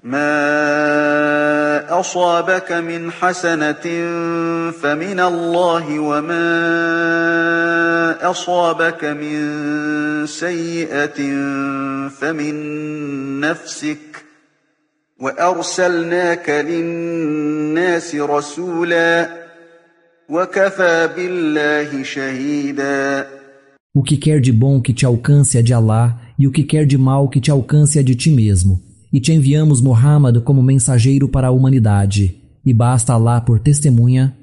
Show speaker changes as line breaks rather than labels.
ما أصابك من حسنة فمن الله وما أصابك من سيئة فمن نفسك وأرسلناك للناس رسولا وكفى بالله شهيدا.
O que quer de bom que te alcance é de Allah, e o que quer de mal que te alcance é de ti mesmo. E te enviamos Muhammad como mensageiro para a humanidade. E basta Allah por testemunha,